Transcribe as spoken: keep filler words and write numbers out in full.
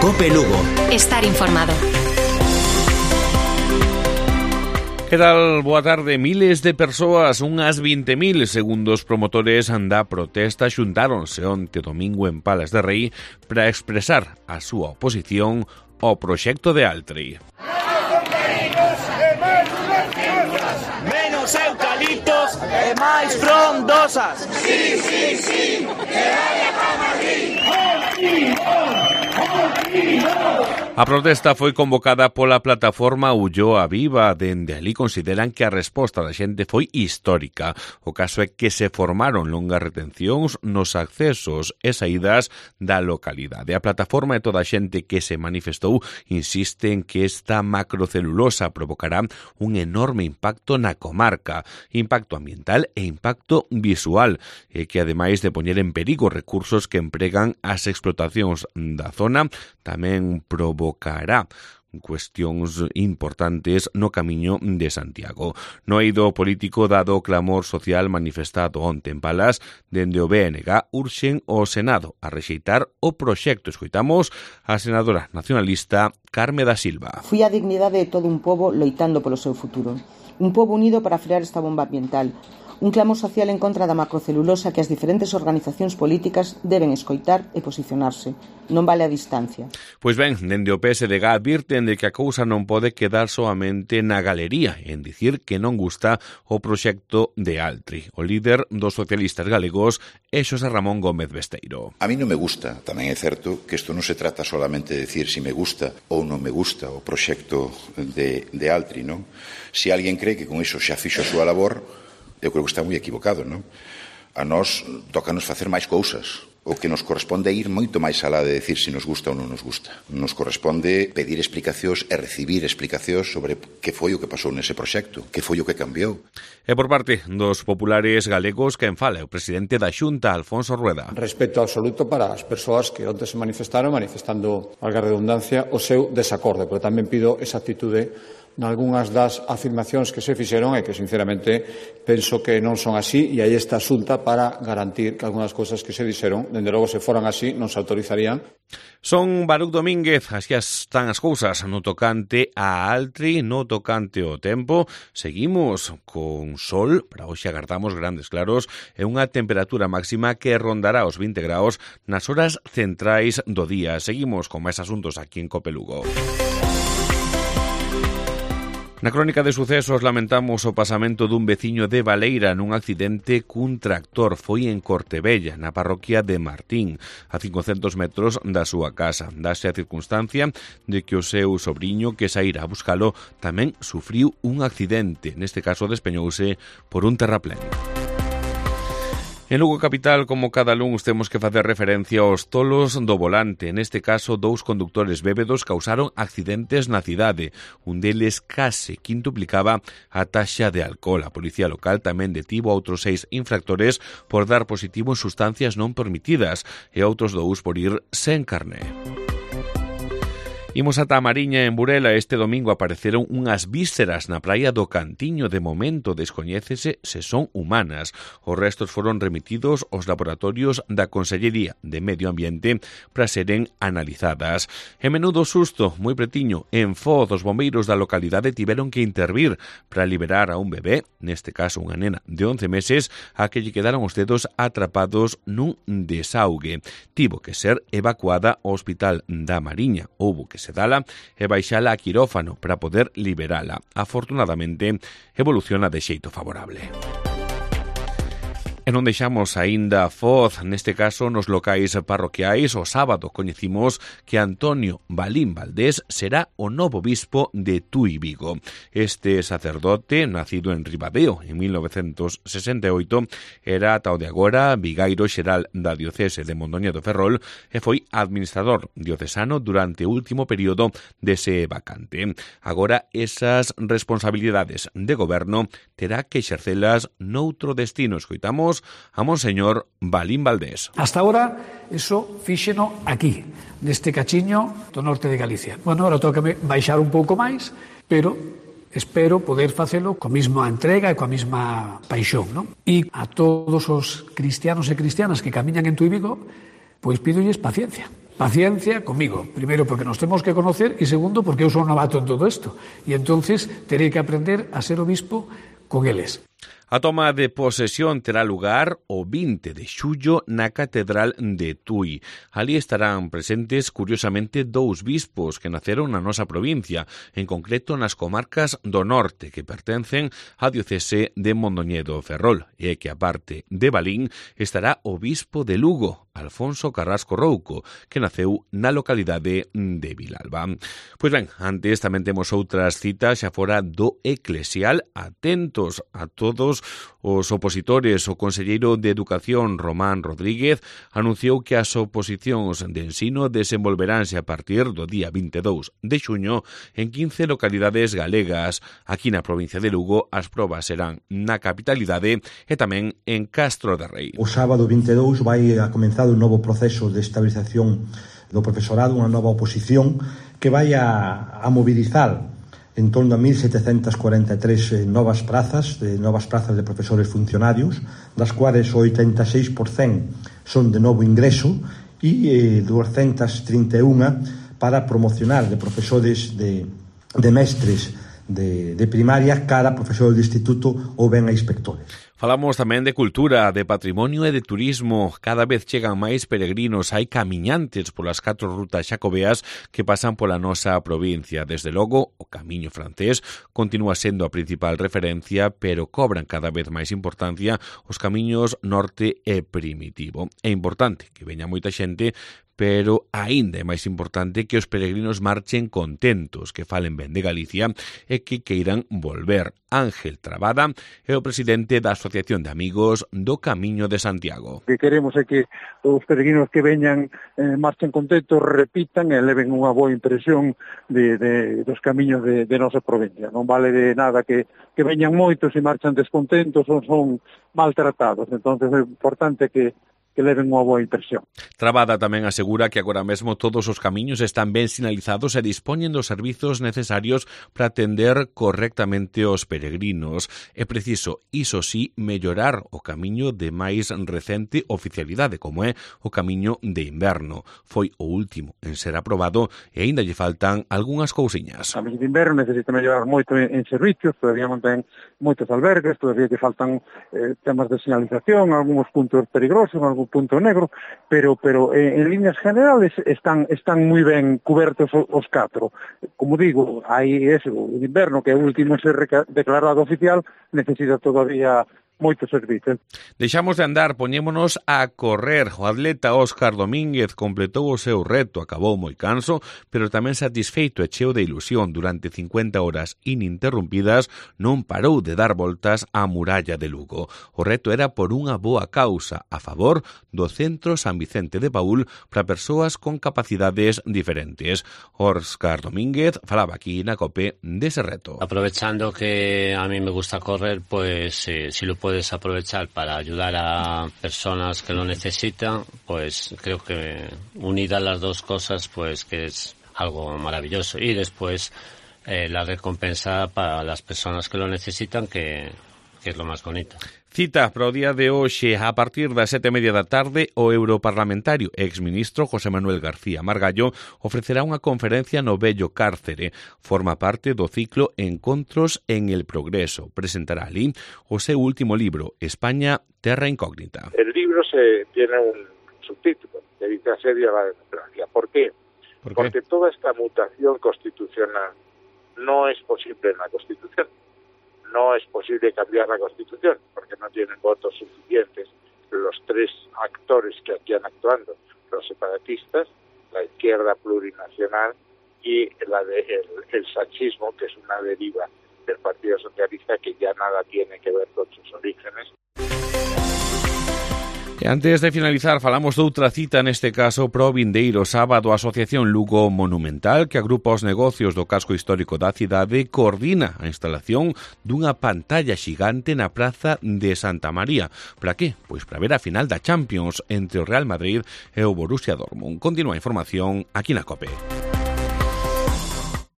Cope Lugo. Estar informado. Que tal? Boa tarde. Miles de persoas, unhas vinte mil, segundo os promotores da protesta, xuntáronse onte domingo en Palas de Rei para expresar a súa oposición ao proxecto de Altri. Menos eucaliptos e máis frondosas. Sí, sí, sí, que vaya para Madrid. A protesta foi convocada pola plataforma Ulloa Viva. Dende ali consideran que a resposta da xente foi histórica. O caso é que se formaron longas retencións nos accesos e saídas da localidade. A plataforma e toda a xente que se manifestou insiste en que esta macrocelulosa provocará un enorme impacto na comarca, impacto ambiental e impacto visual, e que ademais de poñer en perigo recursos que empregan as explotacións da zona, tamén provocará cuestións importantes no camiño de Santiago. No eido político, dado o clamor social manifestado onte en Palas, dende o B N G urxen o Senado a rexeitar o proxecto. Escoitamos a senadora nacionalista Carme da Silva. Fui a dignidade de todo un pobo loitando polo seu futuro. Un pobo unido para frear esta bomba ambiental. Un clamor social en contra da macrocelulosa que as diferentes organizacións políticas deben escoitar e posicionarse. Non vale a distancia. Pois ben, dende o P S D G advirten de que a cousa non pode quedar soamente na galería en dicir que non gusta o proxecto de Altri. O líder dos socialistas galegos é Xosé Ramón Gómez Besteiro. A mí non me gusta, tamén é certo que isto non se trata solamente de decir si me gusta ou non me gusta o proxecto de, de Altri, non? Si alguén cree que con iso xa fixo a súa labor, eu creo que está moi equivocado, non? A nós tócanos facer máis cousas. O que nos corresponde é ir moito máis alá de decir se nos gusta ou non nos gusta. Nos corresponde pedir explicacións e recibir explicacións sobre que foi o que pasou nese proxecto, que foi o que cambiou. E por parte dos populares galegos, quen fala, o presidente da Xunta, Alfonso Rueda. Respeto absoluto para as persoas que onte se manifestaron, manifestando, valga a redundancia, o seu desacordo, pero tamén pido esa actitude nalgúnas das afirmacións que se fixeron e que, sinceramente, penso que non son así, e aí está a Xunta para garantir que algunhas cousas que se dixeron, dende logo, se foran así, non se autorizarían. Son Baruch Domínguez, así están as cousas no tocante a Altri, no tocante ao tempo. Seguimos con sol, para hoxe agardamos grandes claros e unha temperatura máxima que rondará os vinte graus nas horas centrais do día. Seguimos con máis asuntos aquí en Cope Lugo. Na crónica de sucesos lamentamos o pasamento dun veciño de Baleira nun accidente cun tractor. Foi en Cortebella, na parroquia de Martín, a cincocentos metros da súa casa. Dase a circunstancia de que o seu sobriño, que saíra a buscalo, tamén sufriu un accidente. Neste caso despeñouse por un terraplén. En Lugo Capital, como cada luns, temos que facer referencia aos tolos do volante. Neste caso, dous conductores bébedos causaron accidentes na cidade. Un deles case quintuplicaba a taxa de alcohol. A policía local tamén detivo a outros seis infractores por dar positivo en sustancias non permitidas e outros dous por ir sen carné. Imos ata a Mariña, en Burela. Este domingo apareceron unhas vísceras na praia do Cantiño. De momento descoñécese se son humanas. Os restos foron remitidos aos laboratorios da Consellería de Medio Ambiente para seren analizadas. E menudo susto, moi pretiño, en Foz, os bombeiros da localidade tiveron que intervir para liberar a un bebé, neste caso unha nena de once meses, a que lle quedaron os dedos atrapados nun desaugue. Tivo que ser evacuada ao Hospital da Mariña. Houbo que sedala e baixala a quirófano para poder liberala. Afortunadamente, evoluciona de xeito favorable. E non deixamos aínda a Foz, neste caso nos locais parroquiais. O sábado coñecimos que Antonio Balín Valdés será o novo bispo de Tui Vigo. Este sacerdote, nacido en Ribadeo en mil novecentos sesenta e oito, era ata o de agora vigairo xeral da diocese de Mondoñedo Ferrol e foi administrador diocesano durante o último período dese vacante. Agora, esas responsabilidades de goberno terá que exercelas noutro destino. Escoitamos a Monseñor Balín Valdés. Hasta ahora, eso fíxeno aquí, neste cachiño do norte de Galicia. Bueno, ahora tócame baixar un pouco máis, pero espero poder facelo coa mesma entrega e coa mesma paixón, non? E a todos os cristianos e cristianas que camiñan en Tui Vigo, pois pídolles paciencia. paciencia conmigo. Primero, porque nos temos que conocer, e segundo, porque eu son novato en todo isto. E entonces terei que aprender a ser obispo con eles. A toma de posesión terá lugar o vinte de xullo na Catedral de Tui. Ali estarán presentes, curiosamente, dous bispos que naceron na nosa provincia, en concreto nas comarcas do norte, que pertencen á diocese de Mondoñedo Ferrol, e que, aparte de Balín, estará o bispo de Lugo, Alfonso Carrasco Rouco, que naceu na localidade de Vilalba. Pois ben, antes tamén temos outras citas xa fora do eclesial. Atentos a todos os opositores. O conselleiro de Educación, Román Rodríguez, anunciou que as oposicións de ensino desenvolveránse a partir do día vinte e dous de xuño en quince localidades galegas. Aquí na provincia de Lugo as probas serán na capitalidade e tamén en Castro de Rei. O sábado vinte e dous vai a comenzar un novo proceso de estabilización do profesorado, unha nova oposición que vai a, a mobilizar en torno a mil setecentas cuarenta e tres eh, novas prazas, de novas prazas de profesores funcionarios, das cuales o oitenta e seis por cento son de novo ingreso e eh, duzentas trinta e unha para promocionar de profesores de, de mestres de, de primaria cara a profesores de instituto ou ben a inspectores. Falamos tamén de cultura, de patrimonio e de turismo. Cada vez chegan máis peregrinos, hai camiñantes polas catro rutas xacobeas que pasan pola nosa provincia. Desde logo, o camiño francés continúa sendo a principal referencia, pero cobran cada vez máis importancia os camiños norte e primitivo. É importante que veña moita xente, pero aínda é máis importante que os peregrinos marchen contentos, que falen ben de Galicia e que queiran volver. Ángel Trabada é o presidente da Asociación de Amigos do Camiño de Santiago. O que queremos é que os peregrinos que veñan eh, marchen contentos, repitan e leven unha boa impresión de, de, dos camiños de, de nosa provincia. Non vale de nada que, que veñan moitos e marchan descontentos ou son maltratados. Entón é importante que que leven unha boa impresión. Trabada tamén asegura que agora mesmo todos os camiños están ben sinalizados e dispoñen dos servizos necesarios para atender correctamente os peregrinos. É preciso, iso sí, mellorar o camiño de máis recente oficialidade, como é o camiño de inverno. Foi o último en ser aprobado e aínda lle faltan algunhas cousiñas. O camiño de inverno necesita mellorar moito en, en servicios, todavía non ten moitos albergues, todavía lle faltan eh, temas de señalización, algúns puntos peligrosos, algún punto negro, pero pero eh, en líneas generales están están moi ben cubertos os, os catro. Como digo, hai ese, o inverno que é o último ser declarado oficial, necesita todavía moitos servizos. Deixamos de andar, poñémonos a correr. O atleta Óscar Domínguez completou o seu reto, acabou moi canso, pero tamén satisfeito e cheo de ilusión. Durante cincuenta horas ininterrumpidas non parou de dar voltas á muralla de Lugo. O reto era por unha boa causa, a favor do Centro San Vicente de Paúl para persoas con capacidades diferentes. Óscar Domínguez falaba aquí na COPE dese reto. Aprovechando que a mí me gusta correr, pues eh, si lo puedo puedes aprovechar para ayudar a personas que lo necesitan, pues creo que unidas las dos cosas, pues que es algo maravilloso. Y después eh, la recompensa para las personas que lo necesitan, que, que es lo más bonito. Cita para o día de hoxe a partir das sete e media da tarde o europarlamentario e exministro José Manuel García Margallo ofrecerá unha conferencia no vello cárcere. Forma parte do ciclo Encontros en el Progreso. Presentará ali o seu último libro, España, Terra Incógnita. El libro se tiene un subtítulo, que dice Asedio a la democracia. ¿Por qué? ¿Por qué? Porque toda esta mutación constitucional no es posible en la Constitución. No es posible cambiar la Constitución porque no tienen votos suficientes los tres actores que aquí han actuando, los separatistas, la izquierda plurinacional y la de el, el sanchismo, que es una deriva del Partido Socialista que ya nada tiene que ver con sus orígenes. E antes de finalizar, falamos doutra cita, neste caso, pro vindeiro sábado. A Asociación Lugo Monumental, que agrupa os negocios do casco histórico da cidade, coordina a instalación dunha pantalla xigante na Praza de Santa María. Para que? Pois para ver a final da Champions entre o Real Madrid e o Borussia Dortmund. Continúa a información aquí na COPE.